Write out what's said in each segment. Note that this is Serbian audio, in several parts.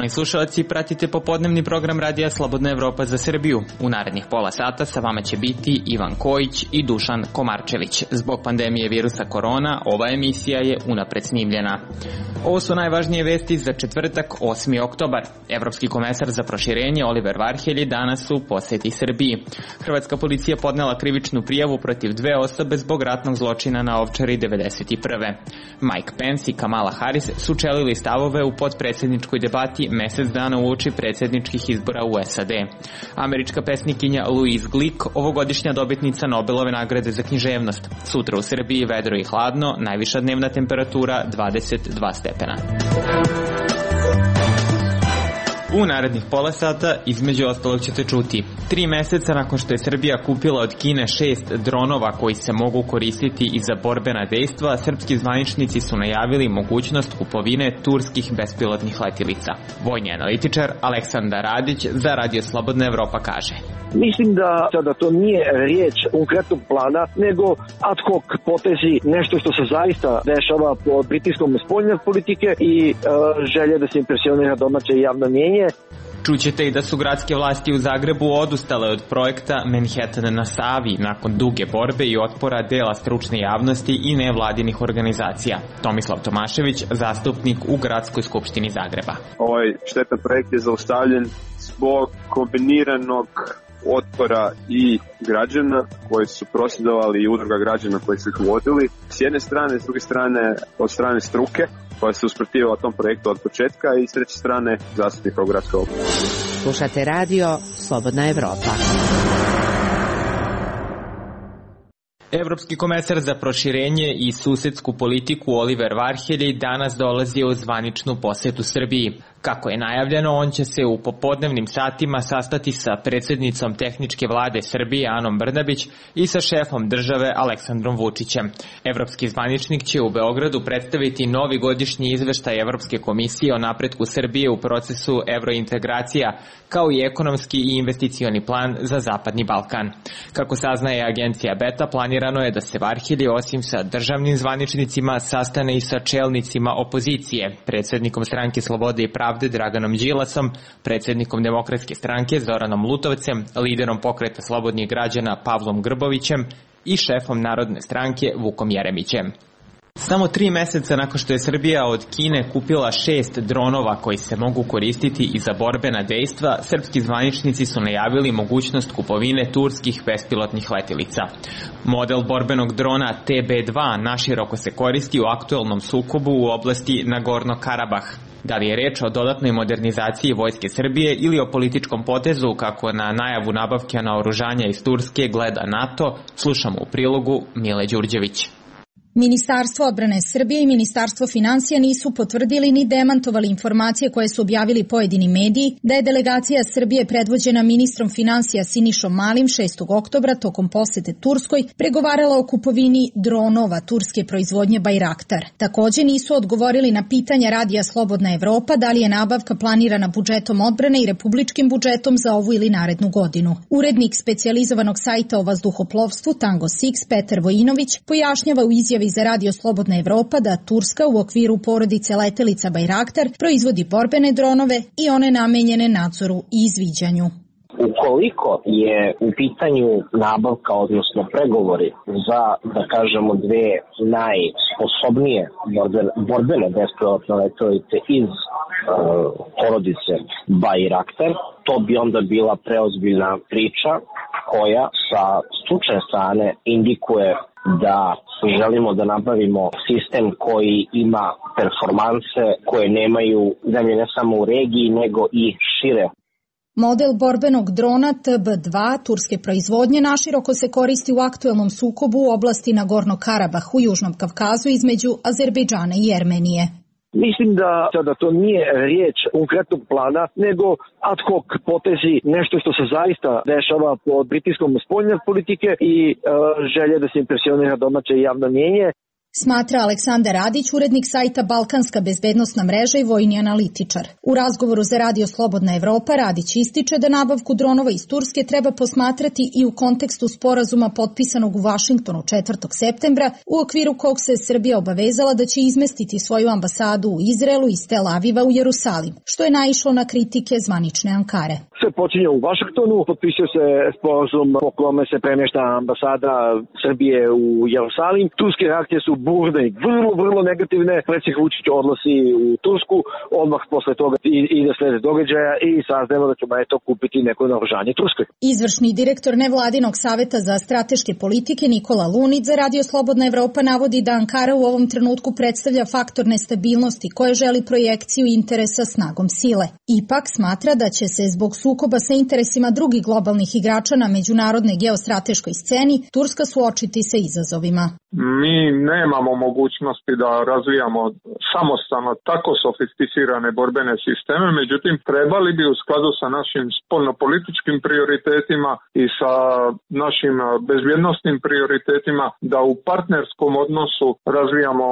Poštovani slušalci, pratite popodnevni program Radija Slobodna Evropa za Srbiju. U narednih pola sata sa vama će biti Ivan Kojić i Dušan Komarčević. Zbog pandemije virusa korona, ova emisija je unapred snimljena. Ovo su najvažnije vesti za četvrtak, 8. oktobar. Evropski komesar za proširenje Oliver Varhelyi danas u poseti Srbiji. Hrvatska policija podnela krivičnu prijavu protiv 2 osobe zbog ratnog zločina na Ovčari 1991. Mike Pence i Kamala Harris sučelili stavove u podpredsjedničkoj debati mesec dana uoči predsjedničkih izbora u SAD. Američka pesnikinja Louise Glick, ovogodišnja dobitnica Nobelove nagrade za književnost. Sutra u Srbiji vedro i hladno, najviša dnevna temperatura 22 stepena. U narednih pola sata između ostalog ćete čuti: 3 meseca nakon što je Srbija kupila od Kine 6 dronova koji se mogu koristiti i za borbena dejstva, srpski zvaničnici su najavili mogućnost kupovine turskih bespilotnih letilica. Vojni analitičar Aleksandar Radić za Radio Slobodna Evropa kaže: Mislim da sada to nije riječ konkretnog plana, nego ad hoc potezi, nešto što se zaista dešava pod pritiskom spoljne politike i želje da se impresionira domaće javno mnijenje. Čućete i da su gradske vlasti u Zagrebu odustale od projekta Manhattan na Savi nakon duge borbe i otpora dela stručne javnosti i nevladinih organizacija. Tomislav Tomašević, zastupnik u Gradskoj skupštini Zagreba. Ovaj štetan projekt je zaustavljen zbog kombiniranog otpora i građana koji su prosvjedovali i udruga građana koji su ih vodili s jedne strane, s druge strane od strane struke koja se usprotivila tom projektu od početka i s treće strane zastupnika u gradskoj oblasti. Slušate radio Slobodna Evropa. Evropski komesar za proširenje i susedsku politiku Oliver Varhelyi danas dolazi u zvaničnu posetu Srbiji. Kako je najavljeno, on će se u popodnevnim satima sastati sa predsjednicom tehničke vlade Srbije Anom Brnabić i sa šefom države Aleksandrom Vučićem. Evropski zvaničnik će u Beogradu predstaviti novi godišnji izveštaj Evropske komisije o napretku Srbije u procesu evrointegracija, kao i ekonomski i investicioni plan za Zapadni Balkan. Kako saznaje agencija Beta, planirano je da se Varhelyi osim sa državnim zvaničnicima sastane i sa čelnicima opozicije, predsjednikom Stranke slobode i pravde Draganom Đilasom, predsjednikom Demokratske stranke Zoranom Lutovcem, liderom pokreta slobodnih građana Pavlom Grbovićem i šefom Narodne stranke Vukom Jeremićem. Samo 3 meseca nakon što je Srbija od Kine kupila 6 dronova koji se mogu koristiti i za borbena dejstva, srpski zvaničnici su najavili mogućnost kupovine turskih bespilotnih letilica. Model borbenog drona TB2 naširoko se koristi u aktuelnom sukobu u oblasti Nagorno-Karabah. Da li je reč o dodatnoj modernizaciji vojske Srbije ili o političkom potezu kako na najavu nabavke naoružanja iz Turske gleda NATO, slušamo u prilogu Mile Đurđević. Ministarstvo odbrane Srbije i Ministarstvo finansija nisu potvrdili ni demantovali informacije koje su objavili pojedini mediji da je delegacija Srbije predvođena ministrom finansija Sinišom Malim 6. oktobra tokom posete Turskoj pregovarala o kupovini dronova turske proizvodnje Bayraktar. Takođe nisu odgovorili na pitanja Radija Slobodna Evropa da li je nabavka planirana budžetom odbrane i republičkim budžetom za ovu ili narednu godinu. Urednik specijalizovanog sajta o vazduhoplovstvu Tango 6 Petar Vojinović pojašnjava u izjavi za Radio Slobodna Evropa da Turska u okviru porodice letelica Bayraktar proizvodi borbene dronove i one namenjene nadzoru i izviđanju. Ukoliko je u pitanju nabavka, odnosno pregovori za, da kažemo, 2 najsposobnije borbene bespilotne letelice iz porodice Bayraktar, to bi onda bila preozbiljna priča koja sa stručne strane indikuje da želimo da nabavimo sistem koji ima performanse koje nemaju zemlje ne samo u regiji nego i šire. Model borbenog drona TB2 turske proizvodnje naširoko se koristi u aktuelnom sukobu u oblasti Nagorno-Karabah u Južnom Kavkazu između Azerbejdžana i Jermenije. Mislim da sada to nije riječ konkretnog plana, nego ad hoc potezi, nešto što se zaista dešava pod pritiskom spoljne politike i želje da se impresionira domaće javno mnijenje. smatra Aleksandar Radić, urednik sajta Balkanska bezbednosna mreža i vojni analitičar. U razgovoru za Radio Slobodna Evropa Radić ističe da nabavku dronova iz Turske treba posmatrati i u kontekstu sporazuma potpisanog u Vašingtonu 4. septembra, u okviru kog se Srbija obavezala da će izmestiti svoju ambasadu u Izraelu iz Tel Aviva u Jerusalim, što je naišlo na kritike zvanične Ankare. Sve počinje u Vašingtonu, potpisuje se sporazum po kome se premješta ambasada Srbije u Jerusalim. Turske reakcije su burne, vrlo negativne. Predsjednik Vučić odlazi u Tursku, odmah posle toga ide slede događaja i saznajemo da ćemo kupiti neko naoružanje Turskoj. Izvršni direktor nevladinog saveta za strateške politike Nikola Lunić za Radio Slobodna Evropa navodi da Ankara u ovom trenutku predstavlja faktor nestabilnosti koje želi projekciju interesa snagom sile. Ipak smatra da će se zbog sukoba sa interesima drugih globalnih igrača na međunarodnoj geostrateškoj sceni Turska suočiti sa izazovima. Mi nemamo mogućnosti da razvijamo samostalno tako sofisticirane borbene sisteme, međutim trebali bi u skladu sa našim spoljnopolitičkim prioritetima i sa našim bezbjednosnim prioritetima da u partnerskom odnosu razvijamo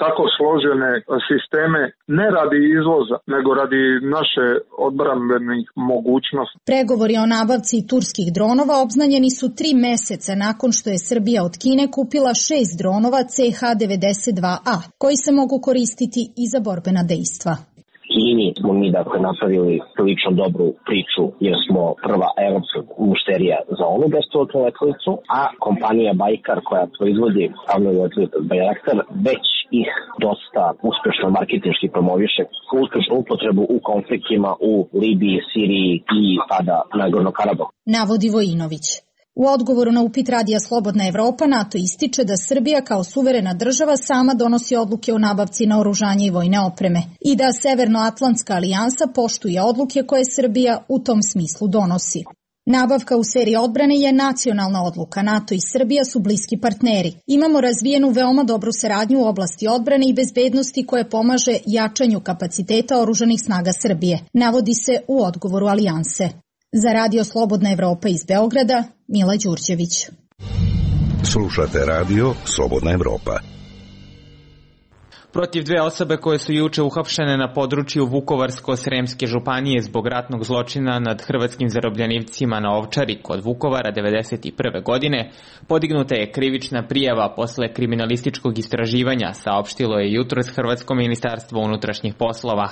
tako složene sisteme ne radi izvoza, nego radi naše odbrambenih mogućnosti. Pregovori o nabavci turskih dronova obznanjeni su 3 meseca nakon što je Srbija od Kine kupila 6 dronova CH-92A, koji se mogu koristiti i za borbena dejstva. Kini smo mi napravili prilično dobru priču jer smo prva evropska mušterija za onu bespilotnu letelicu, a kompanija Bajkar koja proizvodi avionski letelicu Bayraktar već ih dosta uspešno marketinški promoviše uspešnu upotrebu u konfliktima u Libiji, Siriji i pada Nagorno-Karabahu. Navodi Vojinović. U odgovoru na upit Radija Slobodna Evropa NATO ističe da Srbija kao suverena država sama donosi odluke o nabavci naoružanja i vojne opreme i da Severnoatlantska alijansa poštuje odluke koje Srbija u tom smislu donosi. Nabavka u seriji odbrane je nacionalna odluka. NATO i Srbija su bliski partneri. Imamo razvijenu veoma dobru saradnju u oblasti odbrane i bezbednosti koje pomaže jačanju kapaciteta oružanih snaga Srbije, navodi se u odgovoru alijanse. Za Radio Slobodna Evropa iz Beograda, Mila Đurđević. Slušate Radio Slobodna Evropa. Protiv 2 osobe koje su juče uhapšene na području Vukovarsko-Sremske županije zbog ratnog zločina nad hrvatskim zarobljenicima na Ovčari kod Vukovara 1991. godine podignuta je krivična prijava posle kriminalističkog istraživanja, saopštilo je jutros Hrvatsko ministarstvo unutrašnjih poslova.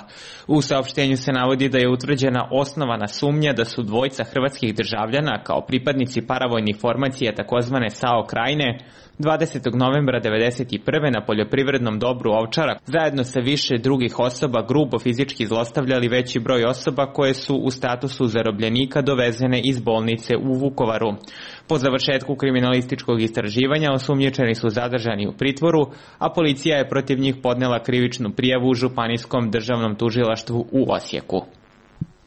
U saopštenju se navodi da je utvrđena osnovana sumnja da su 2 hrvatskih državljana kao pripadnici paravojnih formacija takozvane SAO Krajine 20. novembra 1991. na poljoprivrednom dobru Ovčara zajedno sa više drugih osoba grubo fizički zlostavljali veći broj osoba koje su u statusu zarobljenika dovezene iz bolnice u Vukovaru. Po završetku kriminalističkog istraživanja osumnjičeni su zadržani u pritvoru, a policija je protiv njih podnela krivičnu prijavu u Županijskom državnom tužilaštvu u Osijeku.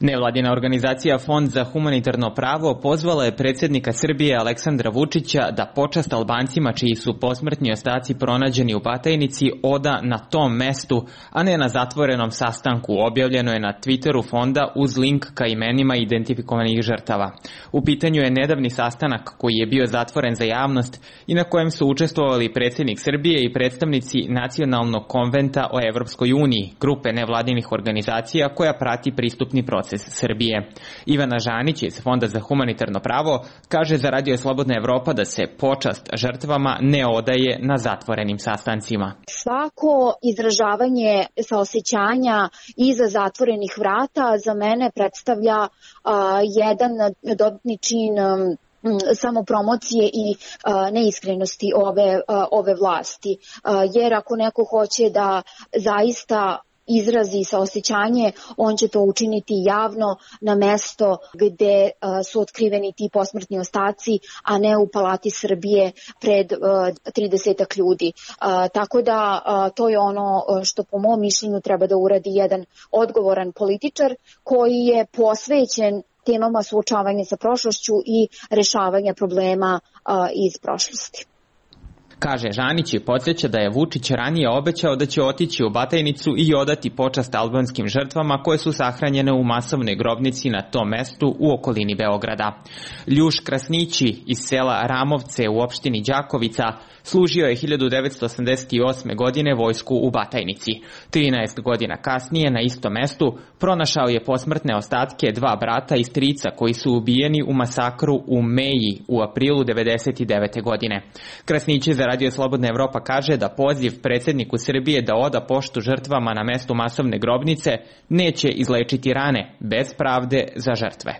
Nevladina organizacija Fond za humanitarno pravo pozvala je predsjednika Srbije Aleksandra Vučića da počast Albancima čiji su posmrtni ostaci pronađeni u Batajnici oda na tom mestu, a ne na zatvorenom sastanku, objavljeno je na Twitteru fonda uz link ka imenima identifikovanih žrtava. U pitanju je nedavni sastanak koji je bio zatvoren za javnost i na kojem su učestvovali predsjednik Srbije i predstavnici Nacionalnog konventa o Evropskoj uniji, grupe nevladinih organizacija koja prati pristupni proces Srbije. Ivana Žanić iz Fonda za humanitarno pravo kaže za Radio Slobodna Evropa da se počast žrtvama ne odaje na zatvorenim sastancima. Svako izražavanje saosećanja iza zatvorenih vrata za mene predstavlja jedan dodatni čin samopromocije i neiskrenosti ove vlasti. Jer ako neko hoće da zaista izrazi saosećanje, on će to učiniti javno na mesto gde su otkriveni ti posmrtni ostaci, a ne u Palati Srbije pred 30 ljudi. Tako da to je ono što po mom mišljenju treba da uradi jedan odgovoran političar koji je posvećen temama suočavanja sa prošlošću i rešavanja problema iz prošlosti. Kaže Žanić i podsjeća da je Vučić ranije obećao da će otići u Batajnicu i odati počast albanskim žrtvama koje su sahranjene u masovnoj grobnici na tom mestu u okolini Beograda. Ljuš Krasnići iz sela Ramovce u opštini Đakovica služio je 1988. godine vojsku u Batajnici. 13 godina kasnije na istom mestu pronašao je posmrtne ostatke dva brata i strica koji su ubijeni u masakru u Meji u aprilu 1999. godine. Krasnići za Radio Slobodna Evropa kaže da poziv predsjedniku Srbije da oda poštu žrtvama na mestu masovne grobnice neće izlečiti rane bez pravde za žrtve.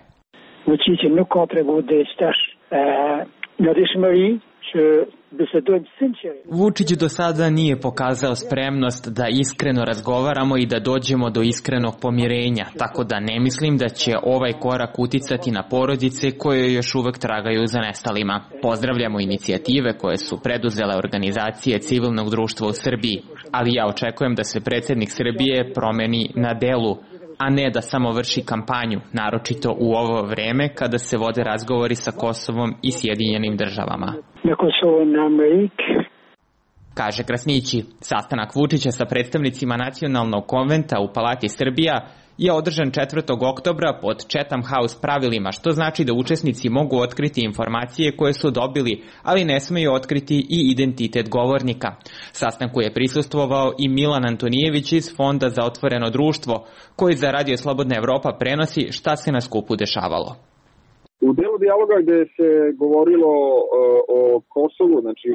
Vučić do sada nije pokazao spremnost da iskreno razgovaramo i da dođemo do iskrenog pomirenja, tako da ne mislim da će ovaj korak uticati na porodice koje još uvek tragaju za nestalima. Pozdravljamo inicijative koje su preduzele organizacije civilnog društva u Srbiji, ali ja očekujem da se predsjednik Srbije promeni na delu, a ne da samo vrši kampanju, naročito u ovo vreme kada se vode razgovori sa Kosovom i Sjedinjenim državama. Kaže Krasnići. Sastanak Vučića sa predstavnicima Nacionalnog konventa u Palati Srbija je održan 4. oktobra pod Chatham House pravilima, što znači da učesnici mogu otkriti informacije koje su dobili, ali ne smeju otkriti i identitet govornika. Sastanku je prisustvovao i Milan Antonijević iz Fonda za otvoreno društvo, koji za Radio Slobodna Evropa prenosi šta se na skupu dešavalo. U delu dijaloga gde se govorilo o Kosovu, znači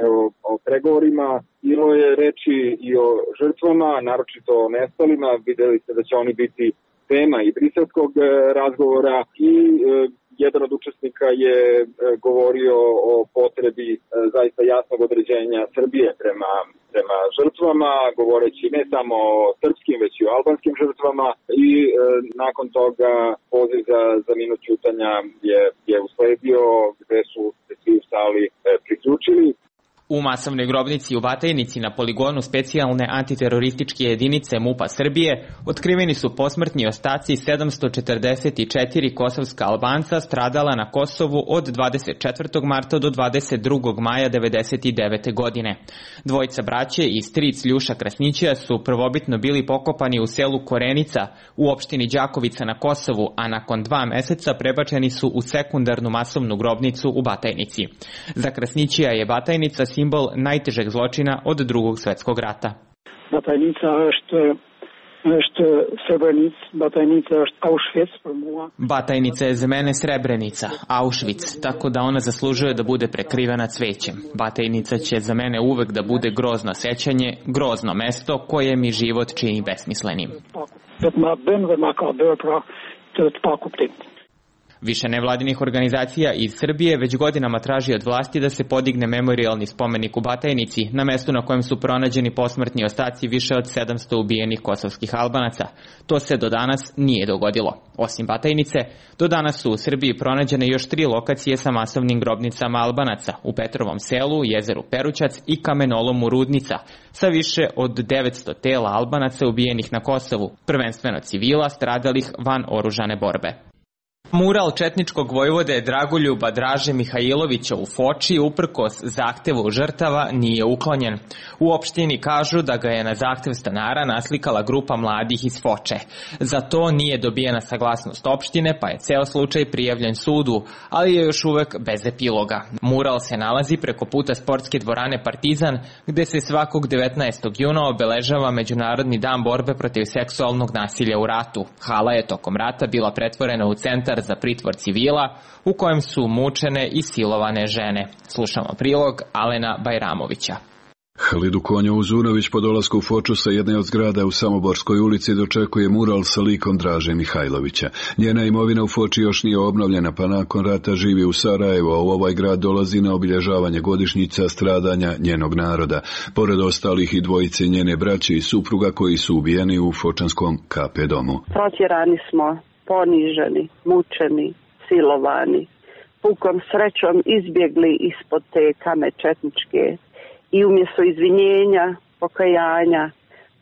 o pregovorima, bilo je reči i o žrtvama, naročito o nestalima. Videli ste da će oni biti tema i briselskog razgovora i jedan od učesnika je govorio o potrebi zaista jasnog određenja Srbije prema žrtvama, govoreći ne samo o srpskim, već i o albanskim žrtvama i nakon toga poziv za minut ćutanja je usledio gde su se svi u sali priključili. U masovnoj grobnici u Batajnici na poligonu specijalne antiterorističke jedinice MUP-a Srbije otkriveni su posmrtni ostaci 744 kosovska Albanca stradala na Kosovu od 24. marta do 22. maja 1999. godine. Dvojica braće i stric Ljuša Krasnića su prvobitno bili pokopani u selu Korenica u opštini Đakovica na Kosovu, a nakon 2 meseca prebačeni su u sekundarnu masovnu grobnicu u Batajnici. Za Krasnića je Batajnica simbol najtežeg zločina od Drugog svjetskog rata. Batajnica je za mene Srebrenica, Auschwitz, tako da ona zaslužuje da bude prekrivena cvećem. Batajnica će za mene uvek da bude grozno sećanje, grozno mesto koje mi život čini besmislenim. Više nevladinih organizacija iz Srbije već godinama traži od vlasti da se podigne memorijalni spomenik u Batajnici, na mestu na kojem su pronađeni posmrtni ostaci više od 700 ubijenih kosovskih Albanaca. To se do danas nije dogodilo. Osim Batajnice, do danas su u Srbiji pronađene još 3 lokacije sa masovnim grobnicama Albanaca, u Petrovom selu, jezeru Perućac i kamenolomu Rudnica, sa više od 900 tela Albanaca ubijenih na Kosovu, prvenstveno civila stradalih van oružane borbe. Mural četničkog vojvode Dragoljuba Draže Mihajlovića u Foči uprkos zahtevu žrtava nije uklonjen. U opštini kažu da ga je na zahtev stanara naslikala grupa mladih iz Foče. Za to nije dobijena saglasnost opštine, pa je ceo slučaj prijavljen sudu, ali je još uvek bez epiloga. Mural se nalazi preko puta sportske dvorane Partizan, gde se svakog 19. juna obeležava Međunarodni dan borbe protiv seksualnog nasilja u ratu. Hala je tokom rata bila pretvorena u centar za pritvor civila u kojem su mučene i silovane žene. Slušamo prilog Alena Bajramovića. Halidu Konjovu Zunović po dolasku u Foču sa jedne od zgrada u Samoborskoj ulici dočekuje mural sa likom Draže Mihajlovića. Njena imovina u Foči još nije obnovljena, pa nakon rata živi u Sarajevu, a u ovaj grad dolazi na obilježavanje godišnjica stradanja njenog naroda. Pored ostalih i dvojice njene braće i supruga koji su ubijeni u fočanskom KP domu. Protjerani smo, poniženi, mučeni, silovani, pukom srećom izbjegli ispod te kame četničke i umjesto izvinjenja, pokajanja,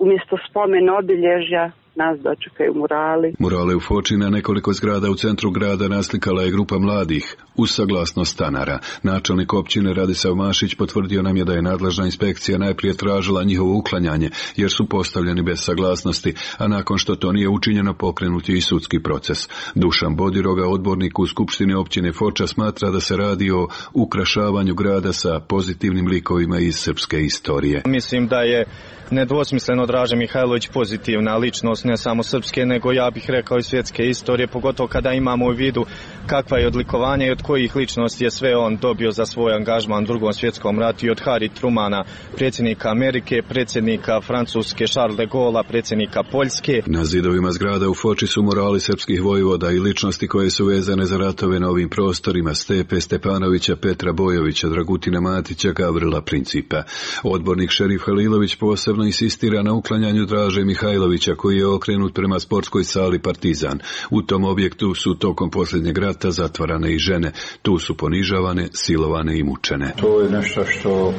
umjesto spomen obilježja, nas dočekaju murali. Murale u Foči na nekoliko zgrada u centru grada naslikala je grupa mladih uz saglasnost stanara. Načelnik općine Radisav Mašić potvrdio nam je da je nadležna inspekcija najprije tražila njihovo uklanjanje jer su postavljeni bez saglasnosti, a nakon što to nije učinjeno pokrenut je i sudski proces. Dušan Bodiroga, odbornik u Skupštini općine Foča, smatra da se radi o ukrašavanju grada sa pozitivnim likovima iz srpske istorije. Mislim da je nedvosmisleno Draže Mihajlović pozitivna ličnost, ne samo srpske, nego ja bih rekao i svjetske istorije, pogotovo kada imamo u vidu kakva je odlikovanje i od kojih ličnosti je sve on dobio za svoj angažman u Drugom svjetskom ratu, i od Harry Trumana, predsjednika Amerike, predsjednika Francuske Charles de Gaulle, predsjednika Poljske. Na zidovima zgrada u Foči su murali srpskih vojvoda i ličnosti koje su vezane za ratove na ovim prostorima: Stepe Stepanovića, Petra Bojovića, Dragutina Matića, Gavrila Principa. Odbornik Šerif Halilović posebno insistira na uklanjanju Draže Mihajlovića, koji je okrenut prema sportskoj sali Partizan. U tom objektu su tokom posljednjeg rata zatvarane i žene. Tu su ponižavane, silovane i mučene. To je nešto što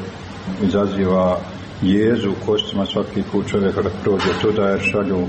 izaziva jezu u kostima svaki put čovjek kada prođe tuda, jer šalju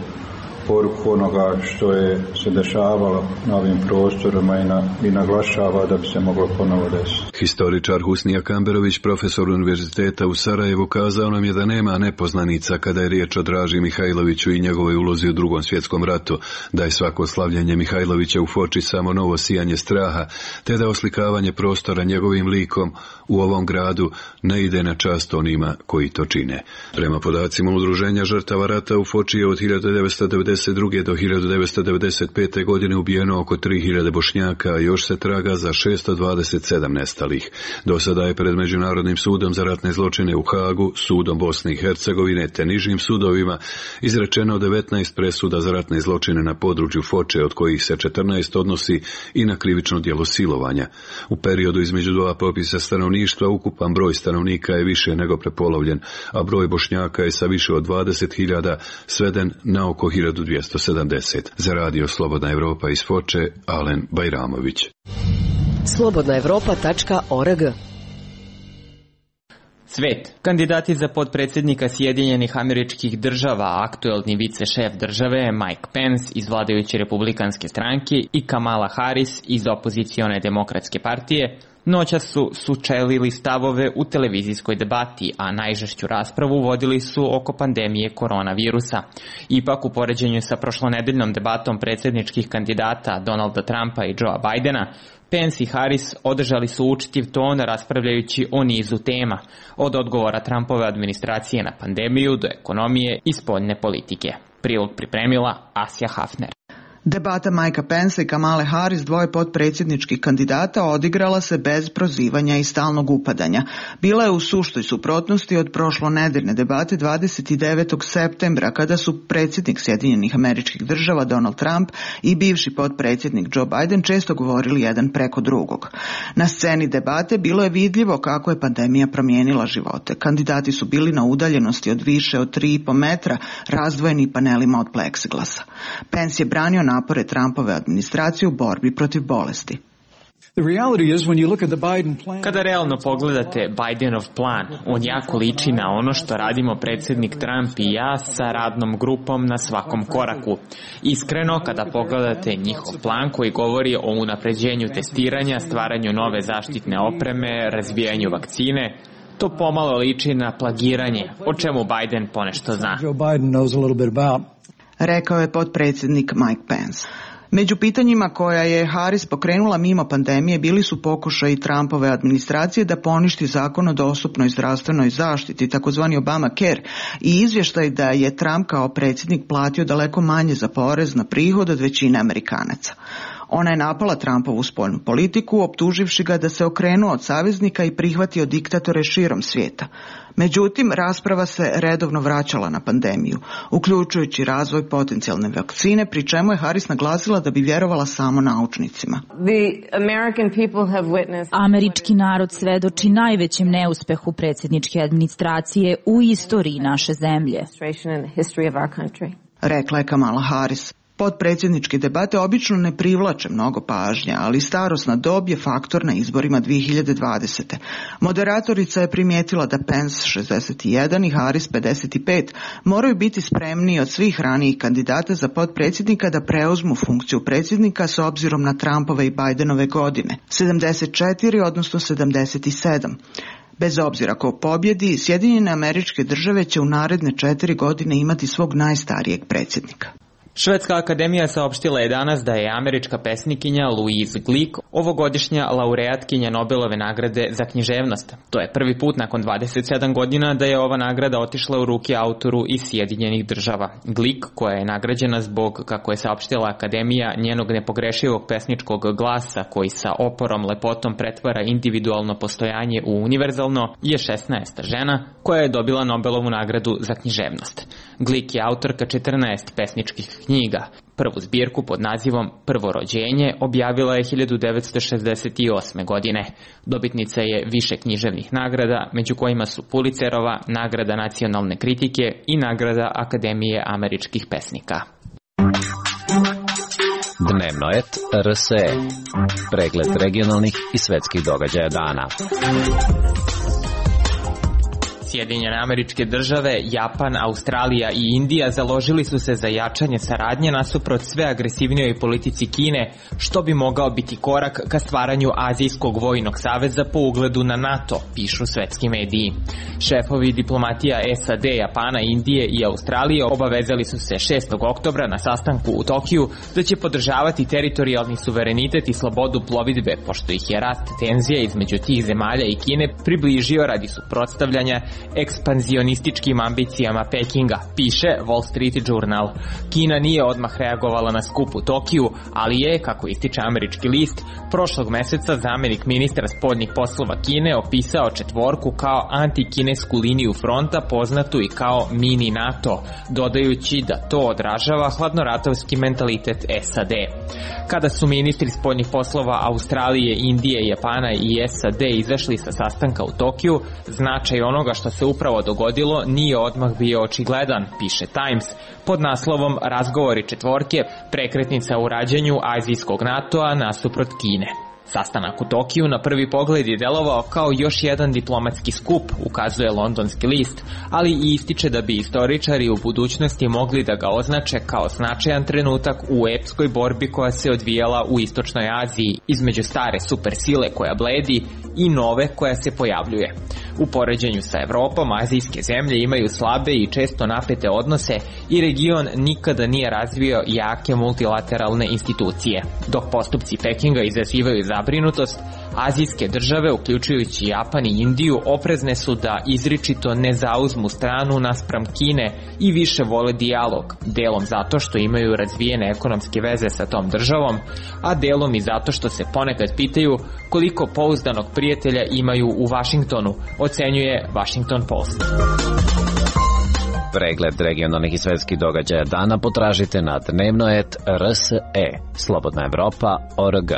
poruku onoga što je se dešavalo na ovim prostorima i naglašava da bi se moglo ponovo desiti. Historičar Husnija Kamberović, profesor Univerziteta u Sarajevu, kazao nam je da nema nepoznanica kada je riječ o Draži Mihajloviću i njegovoj ulozi u Drugom svjetskom ratu, da je svako slavljenje Mihajlovića u Foči samo novo sijanje straha, te da oslikavanje prostora njegovim likom u ovom gradu ne ide na čast onima koji to čine. Prema podacima Udruženja žrtava rata u Foči je od 1992. do 1995. godine ubijeno oko 3000 Bošnjaka, a još se traga za 627 nestalih. Do sada je pred Međunarodnim sudom za ratne zločine u Hagu, sudom Bosne i Hercegovine te nižim sudovima izrečeno 19 presuda za ratne zločine na području Foče, od kojih se 14 odnosi i na krivično djelo silovanja. U periodu između dva popisa stanovništva ukupan broj stanovnika je više nego prepolovljen, a broj Bošnjaka je sa više od 20.000 sveden na oko 1270. Za radio Slobodna Evropa iz Foče, Alen Bajramović. slobodnaevropa.org. Svet. Kandidati za potpredsjednika Sjedinjenih Američkih Država, aktuelni vicešef države Mike Pence iz vladajuće republikanske stranke i Kamala Harris iz opozicione demokratske partije, noćas su sučelili stavove u televizijskoj debati, a najžešću raspravu vodili su oko pandemije koronavirusa. Ipak, u poređenju sa prošlonedeljnom debatom predsjedničkih kandidata Donalda Trumpa i Joea Bidena, Pence i Harris održali su učtiv ton raspravljajući o nizu tema, od odgovora Trumpove administracije na pandemiju do ekonomije i spoljne politike. Prilog pripremila Asja Hafner. Debata Mikea Pensa i Kamale Harris, dvoje potpredsjedničkih kandidata, odigrala se bez prozivanja i stalnog upadanja. Bila je u suštoj suprotnosti od prošlonedeljne debate 29. septembra, kada su predsjednik Sjedinjenih Američkih Država Donald Trump i bivši potpredsjednik Joe Biden često govorili jedan preko drugog. Na sceni debate bilo je vidljivo kako je pandemija promijenila živote. Kandidati su bili na udaljenosti od više od 3,5 metra, razdvojeni panelima od pleksiglasa. Pence je branio napore Trumpove administracije u borbi protiv bolesti. Kada realno pogledate Bidenov plan, on jako liči na ono što radimo predsjednik Trump i ja sa radnom grupom na svakom koraku. Iskreno, kada pogledate njihov plan koji govori o unapređenju testiranja, stvaranju nove zaštitne opreme, razvijanju vakcine, to pomalo liči na plagiranje, o čemu Biden ponešto zna. Rekao je potpredsjednik Mike Pence. Među pitanjima koja je Harris pokrenula mimo pandemije bili su pokušaji Trumpove administracije da poništi zakon o dostupnoj zdravstvenoj zaštiti, takozvani Obamacare, i izvještaj da je Trump kao predsjednik platio daleko manje za porez na prihod od većine Amerikanaca. Ona je napala Trumpovu spoljnu politiku, optuživši ga da se okrenuo od saveznika i prihvatio diktatore širom svijeta. Međutim, rasprava se redovno vraćala na pandemiju, uključujući razvoj potencijalne vakcine, pri čemu je Harris naglasila da bi vjerovala samo naučnicima. Američki narod svedoči najvećem neuspehu predsjedničke administracije u istoriji naše zemlje, rekla je Kamala Harris. Podpredsjedničke debate obično ne privlače mnogo pažnje, ali starosna dob je faktor na izborima 2020. Moderatorica je primijetila da Pence 61 i Harris 55 moraju biti spremniji od svih ranijih kandidata za podpredsjednika da preuzmu funkciju predsjednika s obzirom na Trumpove i Bidenove godine, 74 odnosno 77. Bez obzira ko pobjedi, Sjedinjene Američke Države će u naredne 4 godine imati svog najstarijeg predsjednika. Švedska akademija saopštila je danas da je američka pesnikinja Louise Glück ovogodišnja laureatkinja Nobelove nagrade za književnost. To je prvi put nakon 27 godina da je ova nagrada otišla u ruke autoru iz Sjedinjenih Država. Glück, koja je nagrađena zbog, kako je saopštila akademija, njenog nepogrešivog pesničkog glasa koji sa oporom lepotom pretvara individualno postojanje u univerzalno, je 16. žena koja je dobila Nobelovu nagradu za književnost. Glück je autorka 14 pesničkih knjiga. Prvu zbirku pod nazivom Prvo rođenje objavila je 1968. godine. Dobitnica je više književnih nagrada, među kojima su Pulitzerova, nagrada nacionalne kritike i nagrada Akademije američkih pesnika. Dnevno et RSE. Pregled regionalnih i svetskih događaja dana. Sjedinjene Američke Države, Japan, Australija i Indija založili su se za jačanje saradnje nasuprot sve agresivnijoj politici Kine, što bi mogao biti korak ka stvaranju Azijskog vojnog saveza po ugledu na NATO, pišu svetski mediji. Šefovi diplomatija SAD, Japana, Indije i Australije obavezali su se 6. oktobra na sastanku u Tokiju da će podržavati teritorijalni suverenitet i slobodu plovidbe, pošto ih je rast tenzija između tih zemalja i Kine približio radi suprotstavljanja ekspanzionističkim ambicijama Pekinga, piše Wall Street Journal. Kina nije odmah reagovala na skup u Tokiju, ali je, kako ističe američki list, prošlog meseca zamenik ministra spoljnih poslova Kine opisao četvorku kao antikinesku liniju fronta poznatu i kao mini NATO, dodajući da to odražava hladnoratovski mentalitet SAD. Kada su ministri spoljnih poslova Australije, Indije, Japana i SAD izašli sa sastanka u Tokiju, značaj onoga što se upravo dogodilo nije odmah bio očigledan, piše Times, pod naslovom Razgovori četvorke, prekretnica u rađenju azijskog NATO-a nasuprot Kine. Sastanak u Tokiju na prvi pogled je delovao kao još jedan diplomatski skup, ukazuje londonski list, ali i ističe da bi istoričari u budućnosti mogli da ga označe kao značajan trenutak u epskoj borbi koja se odvijala u Istočnoj Aziji između stare supersile koja bledi i nove koja se pojavljuje. U poređenju sa Evropom, azijske zemlje imaju slabe i često napete odnose i region nikada nije razvio jake multilateralne institucije. Dok postupci Pekinga izazivaju zabrinutost, azijske države, uključujući Japan i Indiju, oprezne su da izričito ne zauzmu stranu naspram Kine i više vole dijalog, delom zato što imaju razvijene ekonomske veze sa tom državom, a delom i zato što se ponekad pitaju koliko pouzdanog prijatelja imaju u Vašingtonu, ocenjuje Washington Post. Pregled regionalnih i svetskih događaja dana potražite na dnevno.rs.e. Slobodna Evropa.org.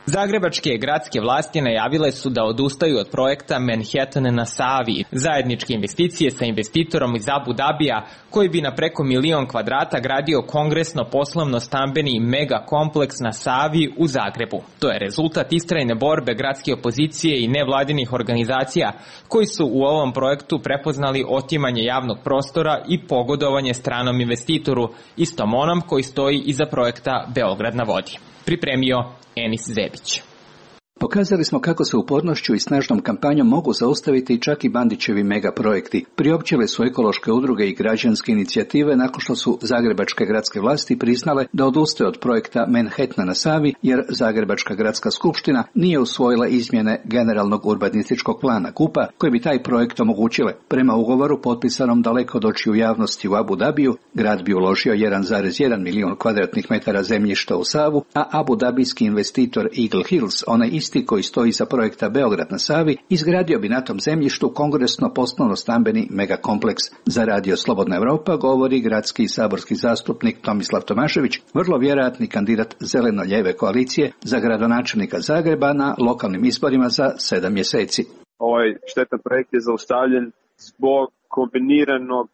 Zagrebačke gradske vlasti najavile su da odustaju od projekta Manhattan na Savi, zajedničke investicije sa investitorom iz Abu Dabija, koji bi na preko 1.000.000 kvadrata gradio kongresno-poslovno-stambeni mega kompleks na Savi u Zagrebu. To je rezultat istrajne borbe gradske opozicije i nevladinih organizacija, koji su u ovom projektu prepoznali otimanje javnog prostora i pogodovanje stranom investitoru, istom onom koji stoji iza projekta Beograd na vodi. Pripremio Enis Zebić. Pokazali smo kako se upornošću i snažnom kampanjom mogu zaustaviti čak i Bandićevi megaprojekti. Priopćile su ekološke udruge i građanske inicijative nakon što su zagrebačke gradske vlasti priznale da odustaju od projekta Manhattan na Savi, jer Zagrebačka gradska skupština nije usvojila izmjene generalnog urbanističkog plana GUP-a koji bi taj projekt omogućile. Prema ugovoru potpisanom daleko od očiju javnosti u Abu Dabiju, grad bi uložio 1,1 milijun kvadratnih metara zemljišta u Savu, a Abu Dabijski investitor Eagle Hills, onaj isti koji stoji iza projekta Beograd na Savi, izgradio bi na tom zemljištu kongresno-poslovno-stambeni megakompleks. Za Radio Slobodna Evropa govori gradski i saborski zastupnik Tomislav Tomašević, vrlo vjerojatni kandidat zeleno-ljeve koalicije za gradonačelnika Zagreba na lokalnim izborima za 7 mjeseci. Ovaj štetan projekt je zaustavljen zbog kombiniranog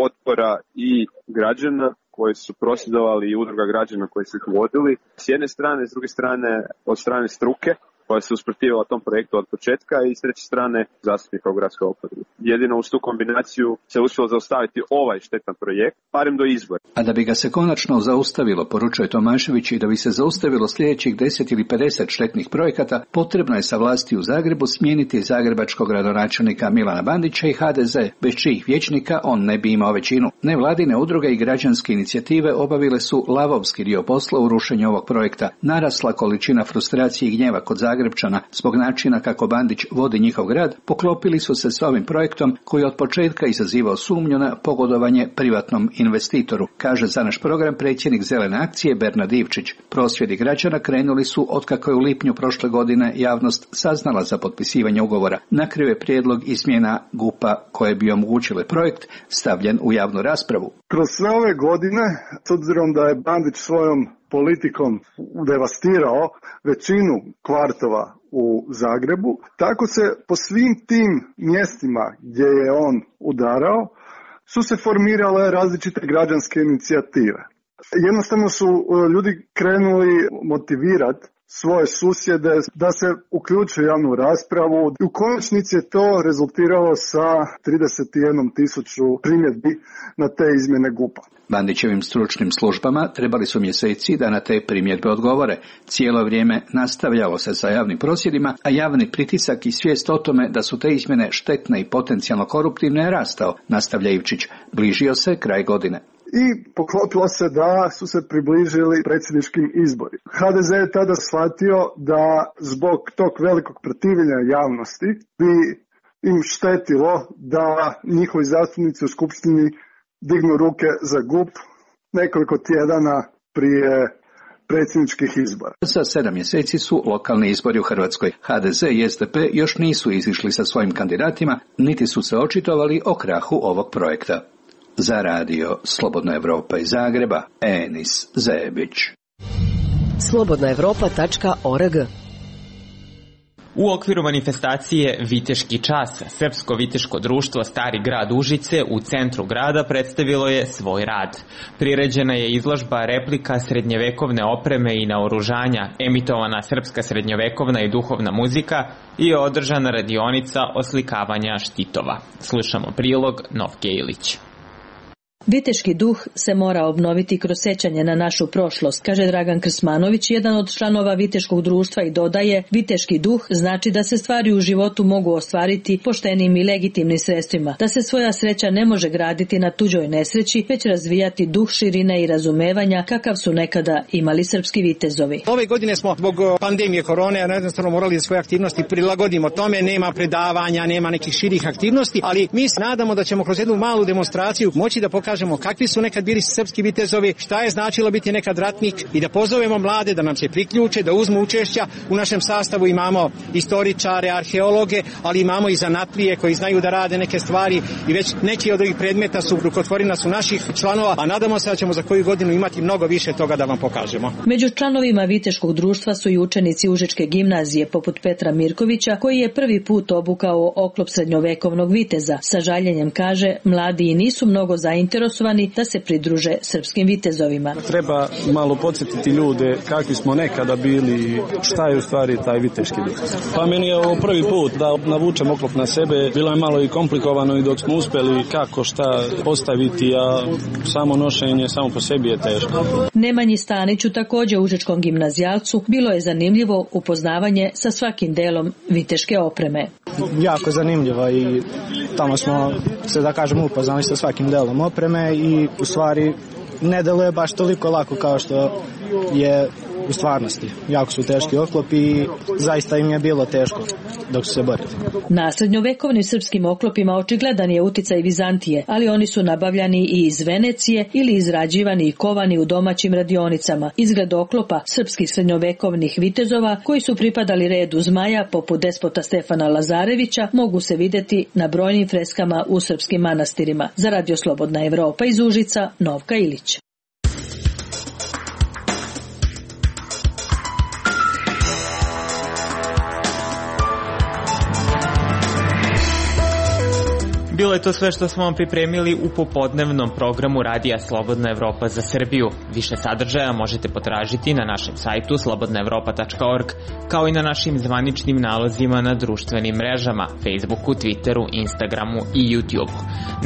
otpora i građana koji su prosvjedovali i udruga građana koji su ih vodili. S jedne strane, s druge strane, od strane struke koja se usprotivila tom projektu od početka i s treće strane zastupnika u gradskoj oporbi. Jedino uz tu kombinaciju se uspjelo zaustaviti ovaj štetan projekt, barem do izbora. A da bi ga se konačno zaustavilo, poručuje Tomašević, i da bi se zaustavilo sljedećih 10 ili 50 štetnih projekata, potrebno je sa vlasti u Zagrebu smijeniti zagrebačkog gradonačelnika Milana Bandića i HDZ, bez čijih vijećnika on ne bi imao većinu. Nevladine udruge i građanske inicijative obavile su lavovski dio posla u rušenju ovog projekta. Narasla količina frustracije i gnjeva kod Zagrebčana zbog načina kako Bandić vodi njihov grad, poklopili su se s ovim projektom koji od početka izazivao sumnju na pogodovanje privatnom investitoru, kaže za naš program predsjednik Zelene akcije Bernard Ivčić. Prosvjedi građana krenuli su otkako je u lipnju prošle godine javnost saznala za potpisivanje ugovora. Na kraju je prijedlog izmjena GUP-a koje bi omogućile projekt stavljen u javnu raspravu. Kroz sve ove godine, s obzirom da je Bandić svojom politikom devastirao većinu kvartova u Zagrebu, tako se po svim tim mjestima gdje je on udarao su se formirale različite građanske inicijative. Jednostavno su ljudi krenuli motivirati svoje susjede da se uključe u javnu raspravu. U konačnici je to rezultiralo sa 31.000 primjedbi na te izmjene GUP-a. Bandićevim stručnim službama trebali su mjeseci da na te primjedbe odgovore. Cijelo vrijeme nastavljalo se sa javnim prosvjedima, a javni pritisak i svijest o tome da su te izmjene štetne i potencijalno koruptivne je rastao, nastavlja Ivčić. Bližio se kraj godine. I poklopilo se da su se približili predsjedničkim izborima. HDZ je tada shvatio da zbog tog velikog protivljenja javnosti bi im štetilo da njihovi zastupnici u skupštini dignu ruke za GUP nekoliko tjedana prije predsjedničkih izbora. Za 7 mjeseci su lokalni izbori u Hrvatskoj. HDZ i SDP još nisu izišli sa svojim kandidatima, niti su se očitovali o krahu ovog projekta. Za radio Slobodna Evropa iz Zagreba, Enis Zebić. slobodnaevropa.org. U okviru manifestacije Viteški čas, Srpsko viteško društvo Stari grad Užice u centru grada predstavilo je svoj rad. Priređena je izložba replika srednjevekovne opreme i naoružanja, emitovana srpska srednjovekovna i duhovna muzika i održana radionica oslikavanja štitova. Slušamo prilog Novke Ilić. Viteški duh se mora obnoviti kroz sećanje na našu prošlost, kaže Dragan Krsmanović, jedan od članova Viteškog društva, i dodaje: viteški duh znači da se stvari u životu mogu ostvariti poštenim i legitimnim sredstvima, da se svoja sreća ne može graditi na tuđoj nesreći, već razvijati duh širine i razumevanja kakav su nekada imali srpski vitezovi. Ove godine smo zbog pandemije korone jednostavno morali da svoje aktivnosti prilagodimo tome, nema predavanja, nema nekih širih aktivnosti, ali mi se nadamo da ćemo kroz jednu malu demonstraciju moći da pokažemo kakvi su nekad bili srpski vitezovi, šta je značilo biti nekad ratnik i da pozovemo mlade da nam se priključe, da uzmu učešća. U našem sastavu imamo istoričare, arheologe, ali imamo i zanatlije koji znaju da rade neke stvari i već neki od ovih predmeta su rukotvorina su naših članova, a nadamo se da ćemo za koju godinu imati mnogo više toga da vam pokažemo. Među članovima Viteškog društva su i učenici Užičke gimnazije poput Petra Mirkovića, koji je prvi put obukao oklop srednjovekovnog viteza. Sa žaljenjem kaže, mladi i nisu mnogo zainteresovani da se pridruže srpskim vitezovima. Treba malo podsjetiti ljude kakvi smo nekada bili, šta je u stvari taj viteški duh. Pa meni je ovo prvi put da navučem oklop na sebe, bilo je malo i komplikovano i dok smo uspjeli kako šta postaviti, a samo nošenje samo po sebi je teško. Nemanji Staniću, također užičkom gimnazijalcu, bilo je zanimljivo upoznavanje sa svakim delom viteške opreme. Jako zanimljivo i tamo smo se, da kažem, upoznali sa svakim delom opreme i u stvari ne deluje baš toliko lako kao što je u stvarnosti. Jako su teški oklopi i zaista im je bilo teško dok su se borili. Na srednjovekovnim srpskim oklopima očigledan je uticaj Vizantije, ali oni su nabavljani i iz Venecije ili izrađivani i kovani u domaćim radionicama. Izgled oklopa srpskih srednjovekovnih vitezova koji su pripadali redu zmaja poput despota Stefana Lazarevića mogu se vidjeti na brojnim freskama u srpskim manastirima. Za Radio Slobodna Evropa iz Užica, Novka Ilić. Bilo je to sve što smo vam pripremili u popodnevnom programu Radija Slobodna Evropa za Srbiju. Više sadržaja možete potražiti na našem sajtu slobodnaevropa.org, kao i na našim zvaničnim nalozima na društvenim mrežama, Facebooku, Twitteru, Instagramu i YouTubeu.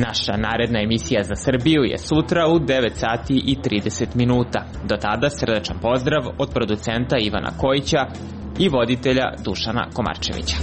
Naša naredna emisija za Srbiju je sutra u 9 sati i 30 minuta. Do tada srdačan pozdrav od producenta Ivana Kojića i voditelja Dušana Komarčevića.